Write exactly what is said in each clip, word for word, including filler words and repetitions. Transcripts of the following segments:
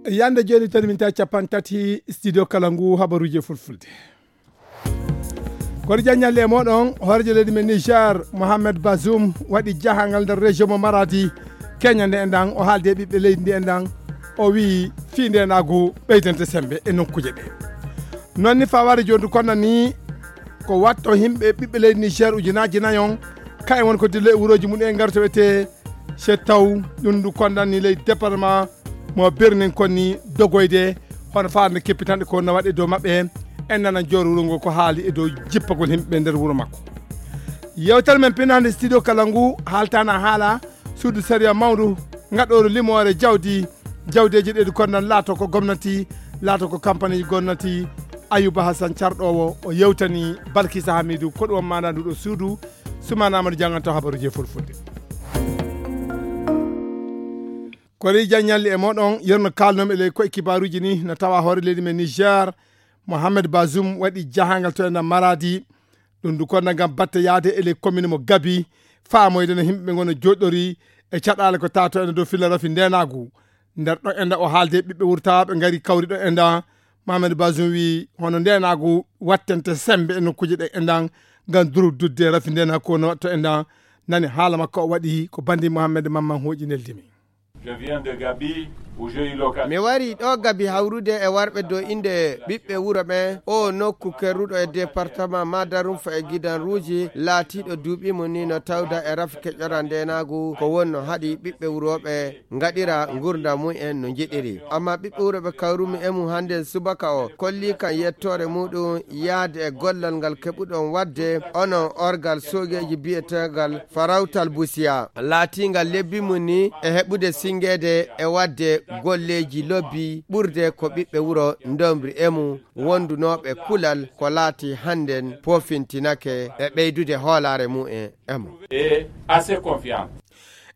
Yande jooni tan min tawi capanɗe tati studio kala ngu habaruuji e fulfulde. Kono jaññalle e mooɗon, hooreejo leydi men Niger, Mohamed Bazoum, waɗi jahangal nder région mo Maradi, Kenya nde enɗan, o haaldi e ɓiɓɓe leydi ndi enɗan, o wiyi fii ndeenaagu ɓeydante sembe e nokkuuje ɗe. Noon ni fawaade jooni kono ni ko watto yimɓe ɓiɓɓe leydi Niger ujunaaji nayon, kayen woni ko dillo e wurooji mum en ngarto wiyetee Chet Taw, ɗum ndu kondan ni ley département mo Birnin kon ni dogoyde, hono faarnde keppitanɗe ko no waɗi e dow maɓɓe, en nana jooro wuro ngo ko haali e dow jippagol yimɓe nder wuro makko. Yewtere men pinande studio kala ngu haaltana haala suudu sariya mawndu ngaɗooru limoore jawdi, jawdeeji ɗe ɗi kondan laato ko gomnati, laato ko kampaneeji gomnati. Ayuba Hassan carɗoowo o yewtani Balkisa Hamidu ko ɗum maana ndu ɗo suudu. Sumana Amadou janganto habaruuji e fulfulde. Ko rewi jaññalli e moɗon, yerno kalnomi e ley koye kibaruuji ni, no tawa hoore leydi men Niger, Mohamed Bazoum waɗi jahangal to ena Maradi. Ɗum ndu konna ngam batte yaade e ley commune mo Gabi, faamoyde no yimɓe ɓe ngona joɗɗori e caɗaale ko tato ena dow filla rafi ndenagu. Nder ɗo enda o haalde ɓiɓɓe wurtaaɓe ngari kawri ɗo enda. Mohamed Bazoum wi hono ndenagu wattente sembe e nokkuuje ɗe endan ngam durududde rafi ndenagu ko no waɗto endan. Nani haala makko o waɗi ko bandi Mohamed Mamman hooƴi neldimi. Je viens de Gabi, où j'ai eu l'occasion. Mi wari ɗo Gabi hawrude e warɓe dow inde ɓiɓɓe wuro ɓen. O nokku kerruɗo e département Madarumfa e Gidan Ruuji, laatiiɗo duuɓi mum ni no tawda e rafi keƴora ndenaagu, ko wonno haɗi ɓiɓɓe wuro ɓe ngaɗira ngurndan mum en no njiɗiri. Amma ɓiɓɓe wuro ɓe kawrumi e mum hannden subaka o, kolli kan yettoore muɗum yaade e gollal ngal keɓuɗon waɗde onon orgal soogeeji biyeteegal Farawtal Busiya, laatiingal lebbi mum ni e heɓude sinngeede e waɗde golleeji lobbi ɓurde ko ɓiɓɓe wuro ndomri e mum, wondunooɓe kulal ko laati hannden poofintinake e ɓeydude hoolaare mum en e mum. Et assez confiant.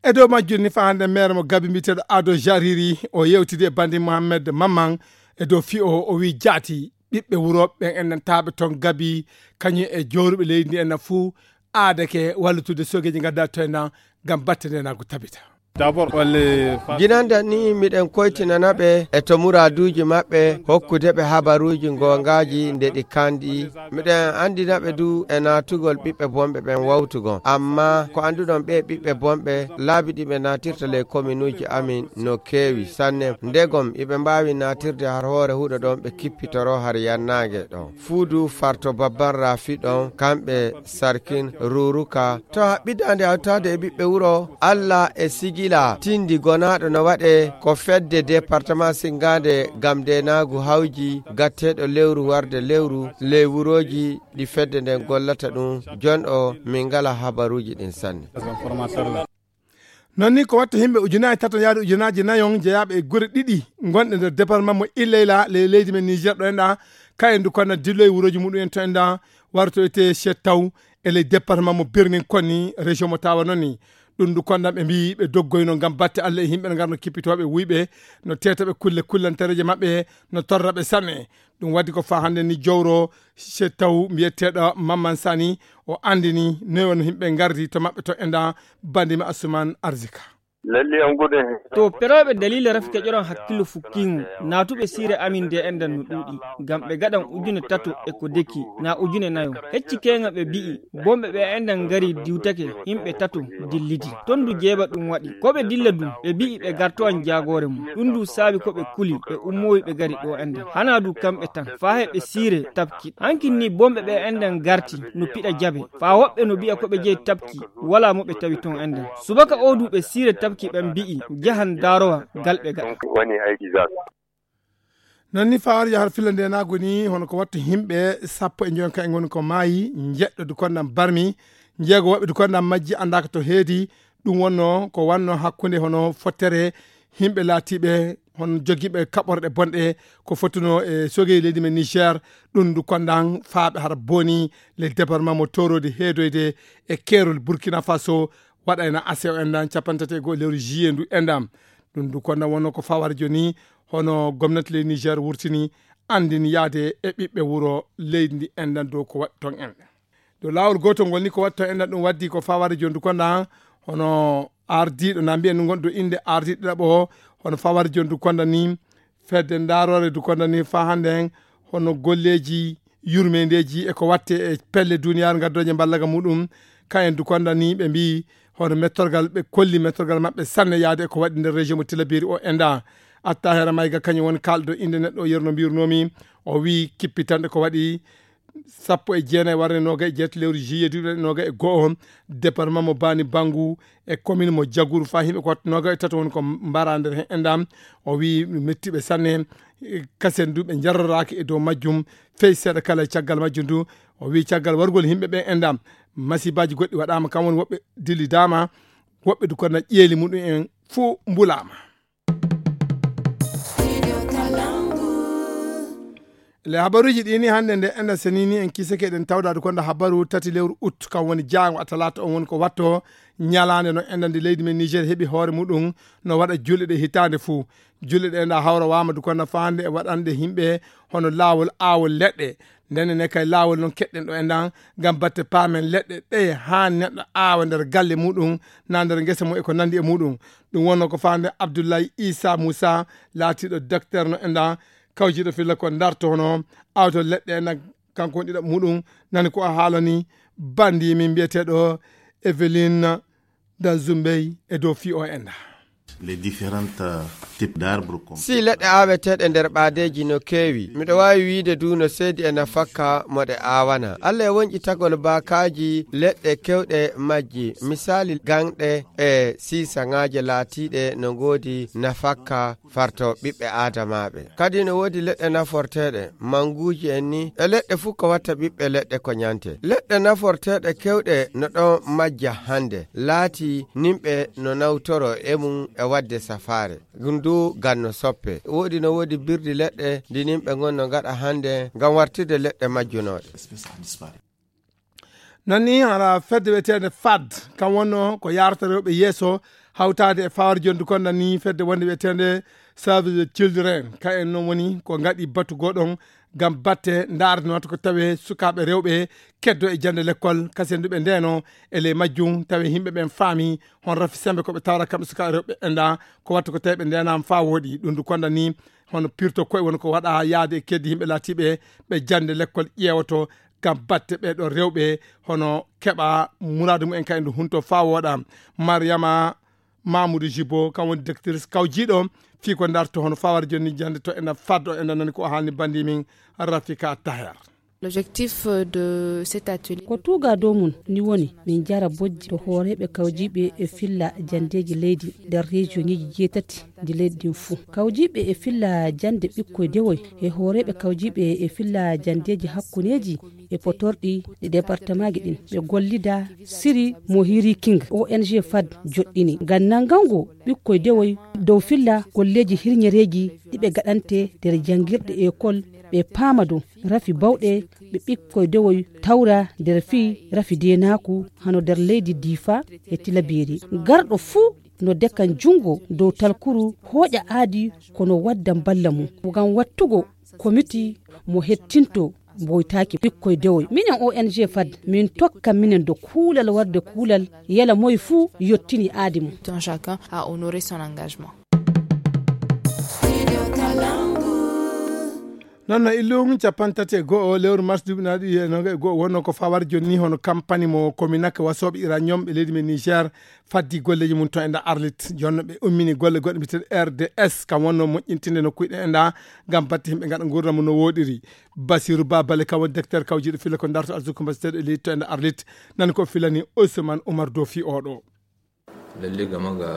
E dow majjum ni fa hannde maire mo Gabi mbiyeteeɗo Ado Jariri o yewtidi e bandi Mohamed Mamman e dow fii o, o wi jaati ɓiɓɓe wuro ɓen enɗantaaɓe toon Gabi, kañum e jooruɓe leydi ndi enɗan fuu aadake wallutude soogeeji ngadda to enɗan ngam batte ndenagu tabita. D'abord, on les fa- Ginande ni miɗen koytinana ɓe e to muraaduuji maɓɓe, hokkude ɓe habaruuji goongaaji nde ɗi kanɗi. Miɗen anndina ɓe du e naatugol ɓiɓɓe bonɓe ɓen wawtugol. Amma ko annduɗon ɓee ɓiɓɓe bonɓe, laabi ɗi ɓe naatirta ley kominuuji amin no keewi sanne. Ndegom iɓe mbaawi naatirde har hoore huɗo ɗon ɓe kippitoro har yannaange ɗon. Fuudu, Farto Babban Rafi ɗon, kamɓe Sarkin, Ruruka. To haɓɓidaande hawtaade e ɓiɓɓe wuro, Alla e Sigila, tindi gonaaɗo no waɗe ko fedde département Singaande ngam ndeenaagu hawji, gatteeɗo lewru warde lewru, ley wurooji ɗi fedde nden gollata ɗum. Jon o, min ngala habaruuji ɗin sanne. Noon ni ko watta yimɓe ujunaaji tato yaade ujunaaji nayon jeyaaɓe e gure ɗiɗi gonɗe nder département mo Illeyla ley leydi men Niger ɗo enɗa, kayen du konna dillo e wurooji muɗum en to enɗa, wartoyte Chet Taw e ley département mo Birnin konni région mo Tawa noon ni. Ɗum du konna ɓe mbiyi ɓe doggoyno ngam batte Allah e yimɓe no ngarno kippitooɓe wuyɓe, no teetaɓe kulle kullantereeje maɓɓe, no torraɓe sanne. Ɗum waɗi ko faa hannde ni jowro Chet Taw mbiyeteeɗo Mamman Sani, o anndini noy won yimɓe ngardi to maɓɓe to enɗa, bandi ma Asuman Arzika. Lalle an gudun. To perooɓe daliila rafi keƴoran hakkillo fukkiingo, naatuɓe siire amin nde enɗan no ɗuuɗi, ngam ɓe gaɗan ujune tato e ko deki, na ujune nayo. Hecci keeŋa ɓe bi'i, bonɓe ɓe enɗan ngari diwtake, yimɓe tato dillidi. Ton du jeeba ɗum waɗi. Ko ɓe dilla du, ɓe bi'i ɓe gartowan jaagoore mum. Ɗum du saabi ko ɓe kuli, ɓe ummowi ɓe gari ɗo enɗan. Hanaa du kamɓe tan, faa heɓe siire tabki. Hankin ni bonɓe ɓe enɗan garti, no piɗa jabe. Faa woɓɓe no bi'a ko ɓe jeyi tabki, walaa mo ɓe tawi ton enɗan. Subaka o du ɓe siire tabki ɓen bi'i, jahan daarowa gal ɓe gaɗa. Wani aiki za su. Noon ni fawaade yahar filla ndenaagu ni, hono ko watta yimɓe sappo e njoyon ka en ngoni ko maayi, njeɗɗo du kondan barmi, njeego woɓɓe du kondan majji anndaaka to heedi. Ɗum wonno ko wanno hakkunde hono fottere yimɓe laatiiɓe hono jogiiɓe kaɓorɗe bonɗe ko fottuno e sogey leydi men Niger. Ɗum du kondan faaɓe hara boni le département mo toroodi heedoyde e keerol Burkina Faso, waɗayna A C O enɗan capanɗe tati e go'o lewru juillet ndu enɗan. Ɗum du kondan wonno ko fawaade jooni, hono gomnati leydi Niger wurtini anndini yaade e ɓiɓɓe wuro leydi ndi enɗan dow ko waɗi ton enɗan. Dow laawol gootol ngol ni ko waɗi ton enɗan, ɗum waddi ko fawaade jooni du kondan hono ardiiɗo na mbiyen ɗum gonɗo innde ardiiɗo ɗiɗaɓo o, hono fawaade jooni du kondan ni fedde ndaarore du kondani faa hannde en hono golleeji yurmeendeeji e ko watte e pelle duniyaaru ngaddoje mballaga muɗum. Kayen du kondani ɓe mbii hono mettorgal, ɓe kolli mettorgal maɓɓe sanne yaade e ko waɗi nder région mo Tilaberi o enda. Atta Hera Mayga kañum woni kaalɗo innde neɗɗo o yerno mbirnomi. O wii kippitanɗe ko waɗi sappo e jeenayi warde noga e jeetati lewru juillet duuɓi noga e go'o, département mo Bani Bangu e commune mo Jaguru faa yimɓe ko watta noga e tato woni ko mbara nder hen endam. O wii mettiɓe sanne, e kasen du ɓe jarroraaki e dow majjum fey seeɗa kala e caggal majjum du. O wii caggal wargol yimɓe ɓe endam, masibaji goɗɗi waɗama, kam woni woɓɓe dillidaama, woɓɓe du kono ƴeeli muɗum en fuu mbulaama. Le habaruuji ɗi ni hannde nde enda senini en kisake ɗen tawdaade konda habaru tati lewru ut, kam woni jaango a talaata on woni ko watto ñalaande no enda nde leydi men Niger heɓi hoore muɗum no waɗa julɗe ɗe hitaande fuu. Julɗe ɗe enda hawra wama du konda faande e waɗande yimɓe hono laawol aawol leɗɗe. Ndenne ne kay laawol non keɗɗen ɗo endan ngam batte paamen leɗɗe ɗe haa neɗɗo aawa nder galle muɗum na nder ngesa mum e ko nandi e muɗum. Ɗum wonno ko faande Abdullahi Isa Musa laatiiɗo docteur no endan kawjiiɗo filla ko ndarto hono awto leɗɗe endan, kanko woni ɗiɗaɓo muɗum. Nani ko a haalani bandi min mbiyeteeɗo Eveline Danzumbey e dow fii o enda. Les différentes, euh, types d'arbres qu'on si leɗɗe aaweteeɗe nder ɓaadeeji no keewi, miɗo waawi wiide du no seedi e nafakka mo ɗe aawana. Allah e wonƴitagol baakaaji leɗɗe kewɗe majji, misaali gaŋɗe e siisagaaje laatiiɗe no ngoodi nafakka farto ɓiɓɓe aadamaaɓe. Kadi no woodi leɗɗe naforteeɗe, manguuji en ni, e leɗɗe fuu ko watta ɓiɓɓe leɗɗe ko ñante. Leɗɗe naforteeɗe kewɗe no ɗon majja hannde, laati nimɓe no nawtoro e mum e waɗde safaare. Ɗum du ganno soppe. Woodi no woodi birdi leɗɗe ndi nimɓe ngon no ngaɗa hannde ngam wartirde leɗɗe majjunooɗe. Non ni hara fedde wiyeteende fad, kam wonno ko yarata rewɓe yeeso, hawtaade e fawar jondu kon nan ni fedde wonde wiyeteende Save the Children. Ka en non woni ko ngaɗi batu goɗon ngam batte ndaarde no watta ko tawe sukaaɓe rewɓe keddo e jannde lekkol, kasen du ɓe ndeeno e ley majjum, tawe yimɓe ɓen faami hon rafi sembe ko ɓe tawra kamɓe sukaaɓe rewɓe ɓe enda ko watta ko tawi ɓe ndeenaama faa wooɗi. Ɗum du konda ni hono pirto koye woni ko waɗa yaade e keddi yimɓe laatiiɓe ɓe jannde lekkol ƴeewoto ngam batte ɓee ɗoo rewɓe hono keɓa muraadu mumen kay ndu hunto faa wooɗa. Mariama Mamoudou Jibo, kam woni directrice kawjiiɗo fii ko ndarto hono fawar jonni jannde to ena faddo ena nani ko o haalni bandi min Rafika Taher. L'objectif de cet atelier ko tuuga dow mum ni woni min njara bojji to hooreeɓe kawjiiɓe e filla janndeeji leydi nder rejiyoŋeeji jeetati ndi leydi ndin fuu. Kawjiiɓe e filla jannde ɓikkoy dewoy e hooreeɓe kawjiiɓe e filla janndeeji hakkuneeji e potorɗi ɗi departemaaji ɗin ɓe gollida siri mo hiri king O N G fad joɗɗini ngam nanngango ɓikkoy dewoy dow filla golleeji hirñereeji ɗi ɓe gaɗante nder janngirɗe ekol, ɓe paama dow rafi bawɗe ɓe ɓikkoy dewoy tawra nder fii rafi deenaaku hano nder leydi Diifa e Tilabeeri. Garɗo fuu no dekan junngo dow talkuru hooƴa aadi kono wadda mballa mum ngam wattugo komiti mo hettinto mboytaaki ɓikkoy dewoy. Minen O N G fad min tokka minen do kuulal warde kuulal yala moye fuu yottini aadi mum. Tout un chacun a honoré son engagement. Non no illum capanɗe tati e go'o lewru mars duuɓi naaɗi e noga e go'o wonno ko fawar jonni hono kampani mo Kominak wasooɓe iranium ɓe leydi men Niger faddi golleeji mum to e nda Arlit. Jonno ɓe ummini golle goɗɗe mbiyeteeɗe R D S, kam wonno moƴƴintinde nokkuuji ɗe e nda ngam batte yimɓe ngaɗa nguurndam mum no wooɗiri. Basiru Babale kam woni directeur kawjiiɗo filla ko ndarto arsuku mbaseteeɗo e leydi to e nda Arlit. Nan ko filani Ousmane Oumar Dofi oɗo. Lalle game ga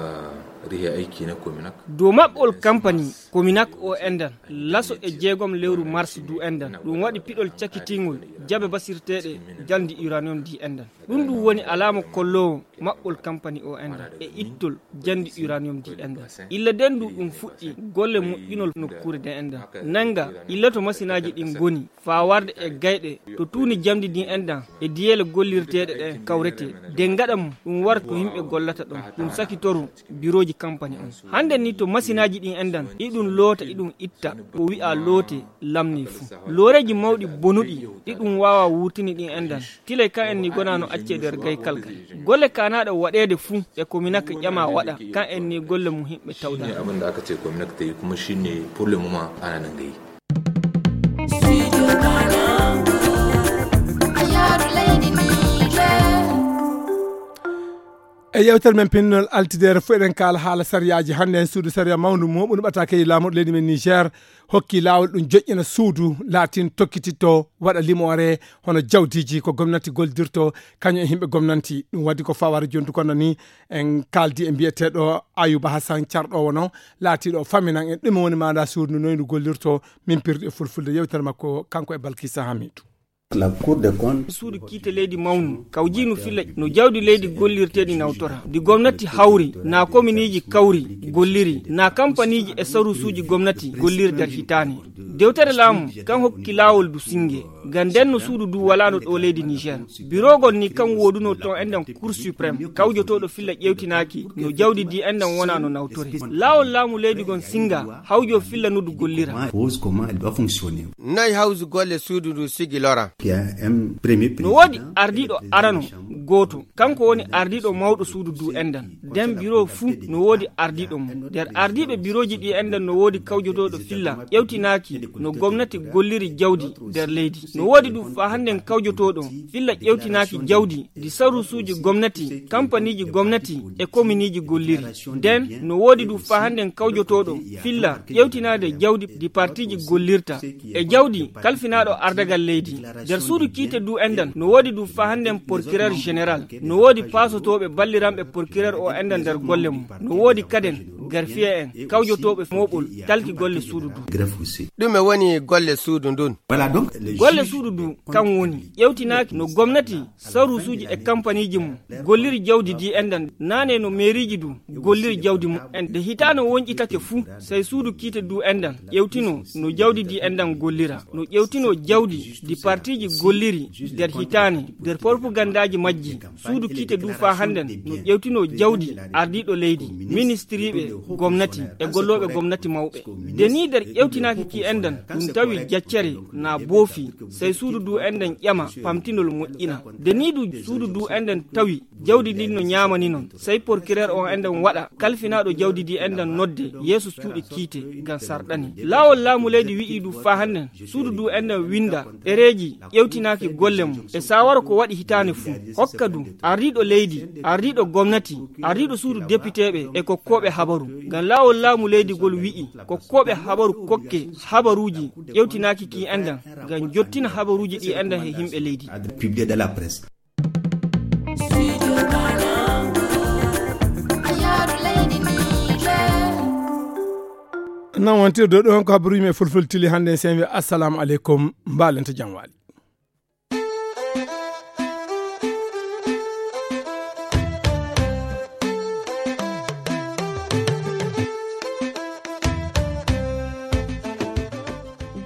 rihe aiki na Kominak. Dow maɓɓol kampani Kominak o endan laso e jeegom lewru mars du endan ɗum waɗi piɗol cakkitingol jaɓe basirteeɗe jandi uranium di endan. Ɗum ɗum woni alaama kolloowo maɓɓol kampani o endan e ittol jandi uranium di endan. Illa den du ɗum fuɗɗi golle moƴƴinol nokkuure de endan. Nanga illa to masinaaji ɗin ngoni faa warde e gayɗe to tuuni jamdi din endan e diyeele gollirteeɗe ɗen kawretee. De ngaɗa mum ɗum warta ko yimɓe gollata ɗon. Ɗum sakitoru birooji Kampani on. Hannde ni to masinaaji ɗin enɗan, iɗum loota, iɗum itta, ko wi'a loote lamni fuu. Looreeji mawɗi bonuɗi, iɗum waawa wurtini ɗin enɗan. Tilay kan en ni gona no accee nder gaykal kay. Golle kaanaaɗo waɗeede fuu, e ko minaka ƴama waɗa, kan en ni golle mum himɓe tawda. Abin da aka ce gwamnati ta yi kuma shi ne problem ma ana nan gai. E yewtere men pinnol altidere fof eɗen kaala haala sariyaaji. Hannde en suudu sariya mawndu moɓundu ɓatakeeji laamorɗo leydi men Niger hokki laawol ɗum joƴƴina suudu laatin tokkititto waɗa limoore hono jawdiiji ko gomnati goldirto kañum e yimɓe gomnanti. Ɗum waɗi ko fawara jontu kono ni en kaaldi e mbiyeteeɗo Ayuba Hassan carɗo wono laatiiɗo faminan en ɗum woni maanda suudu noydu gollirto min pirde e fulfulde yewtere makko kanko e Balkisa Hamidu. Suudu kiite leydi mawnu kawjinu filla no jawdi leydi gollirteeɗi nawtora ndi gomnati hawri na kominiiji kawri golliri na kampaniiji e sarusuuji gomnati golliri nder hitaane. Dewtere laamu kan hokki laawol du singe ngam nden no suudu du walaano ɗo leydi Niger. Birogol ni kan woodunoo ton enɗan Cour suprême kawjotooɗo filla ƴewtinaaki no jawdi ndi enɗan wona no nawtore. Laawol laamu leydi gon singa hawjo filla no du gollira. Noy hawsu golle suudu ndu sigi lora? No woodi ardiiɗo arano gooto, kanko woni ardiiɗo mawɗo suudu du enɗan. Nden biro fuu no woodi ardiiɗo mum. Nder ardiiɓe birooji ɗi enɗan no woodi kawjotooɗo filla ƴewtinaaki no gomnati golliri jawdi nder leydi. No woodi ɗum faa hannden kawjotooɗo filla ƴewtinaaki jawdi ndi sarusuuji gomnati, kampaniiji gomnati e kominiiji golliri. Nden no woodi ɗum faa hannden kawjotooɗo filla ƴewtinaade jawdi ndi partiiji gollirta e jawdi kalfinaaɗo ardagal leydi. Nder suudu kiite du enɗan no woodi ɗum faa hannden porkirer général. No woodi paasotooɓe balliranɓe porkirer o enɗan nder golle mum. No woodi kaden garfiye en kawjotooɓe mooɓol talki golle suudu du. Ɗume woni golle suudu ndun? Golle suudu du kan woni ƴewtinaaki no gomnati sarusuuji e kampaniiji mum golliri jawdi ndi enɗan naane no meeriiji du golliri jawdi mum en nde hitaano wonƴitake fuu sey suudu kiite du enɗan ƴewtino no jawdi ndi enɗan gollira no ƴewtino jawdi ndi partiiji golliri nder hitaane nder porpugandaaji majji. Suudu kiite du faa hannden no ƴewtino jawdi ardiiɗo leydi ministiriiɓe gomnati e gollooɓe gomnati mawɓe. Nde ni nder ƴewtinaaki ki enɗan ɗum tawi jaccere na boofi sey suudu du enɗan ƴama pamtinol moƴƴina. Nde ni du suudu du enɗan tawi jawdi ndin no ñaamani non sey porkirer on enɗan waɗa kalfinaaɗo jawdi ndi enɗan nodde yeeso cuuɗi kiite ngam sarɗani. Laawol laamu leydi wi'i du faa hannden suudu du enɗan winnda ɗereeji ƴewtinaaki golle mum e saawara ko waɗi hitaane fuu hokka du ardiiɗo leydi ardiiɗo gomnati ardiiɗo suudu depiteeɓe e kokkooɓe habaru. Ngam laawol laamu leydi ngol wi'i kokkooɓe habaru kokke habaruuji ƴewtinaaki ki enɗan ngam jottina habaruuji ɗi enɗan he yimɓe leydi. Nan wontirde ɗo on ko habaruuji men fulfulde tili hannde sen wi assalamu aleykum. Mbaalenta jam waali.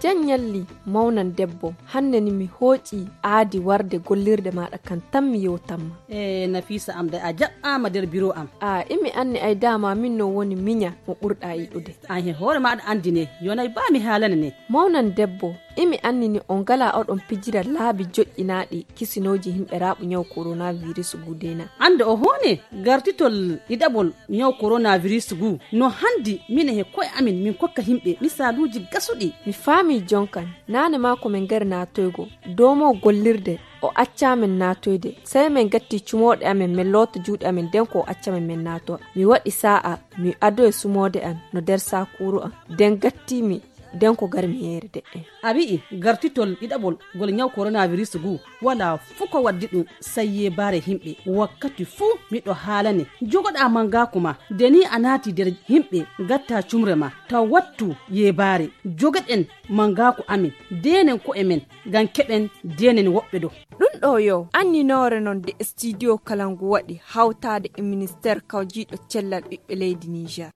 Jan ñalli mawnan debbo. Hannde ni mi hooƴi aadi warde gollirde maaɗa kan tan mi yewtanma. E nafisa am de a jaɓɓaama nder biro am. A imi anni ay dama min no woni miña mo ɓurɗa yiɗude. An he hoore maaɗa anndi ne yonay ba mi haalane ne. Mawnan debbo imi anni ni on ngala oɗon pijira laabi joƴƴinaaɗi kisinooji yimɓe raaɓu ñaw coronavirus gudena. Annde o hoone gartitol ɗiɗaɓol ñaw coronavirus gu no hanndi mine he koye amin min kokka yimɓe misaaluuji gasuɗi. Mi faami jonkan naane maa ko min ngari naatoygo dow mo gollirde o accaa min naatoyde sey min gatti cumooɗe amin min loota juuɗe amin nden ko o acca min min naatowa mi waɗi saa'a mi adoye sumoode an no nder saakuuru an nden gatti mi nden ko gar mi yeere de'en. A wi'i gartitol ɗiɗaɓol ngol ñaw coronavirus ngu walaa fuu ko waddi ɗum sey yeebaare yimɓe. Wakkati fuu miɗo haalane jogoɗaa manngaaku ma nde nii a naati nder yimɓe ngattaa cumre ma taw wattu yeebaare. Jogoɗen manngaaku amin ndeenen ko'e men ngam keɓen ndeenen woɓɓe ɗo. Ɗum ɗo yo anninoore non nde studio kala ngu waɗi hawtaade e ministeer kawjiiɗo cellal ɓiɓɓe leydi Niger.